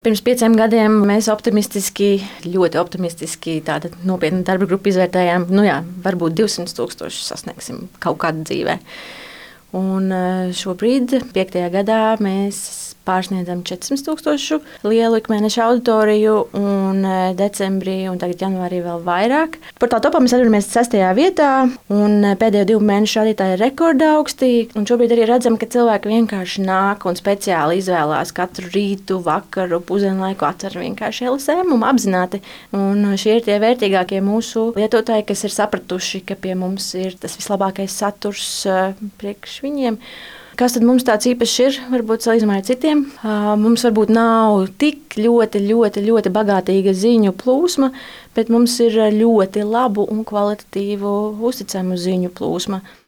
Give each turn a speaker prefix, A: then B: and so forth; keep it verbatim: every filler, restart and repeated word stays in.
A: Pirms pieciem gadiem mēs optimistiski, ļoti optimistiski tādu nopietnu darba grupu izvērtējām. Nu jā, varbūt divsimt tūkstošus sasniegsim kaut kādā dzīvē. Un šobrīd, piektajā gadā, mēs pārsniedzam četrsimt tūkstošu lielu ikmēneša auditoriju, un decembrī un tagad janvārī vēl vairāk. Portāla topā mēs atrodamies sestajā vietā, un pēdējo divu mēnešu rādītāji ir rekorda augstī. Un šobrīd arī redzam, ka cilvēki vienkārši nāk un speciāli izvēlās katru rītu, vakaru, pusdienlaiku atver vienkārši L S M un apzināti. Un šie ir tie vērtīgākie mūsu lietotāji, kas ir sapratuši, ka pie mums ir tas vislabākais saturs priekš viņiem. Kas tad mums tāds īpašs ir, varbūt salīdzinājumā ar citiem? Mums varbūt nav tik ļoti, ļoti, ļoti bagātīga ziņu plūsma, bet mums ir ļoti labu un kvalitatīvu uzticamu ziņu plūsma.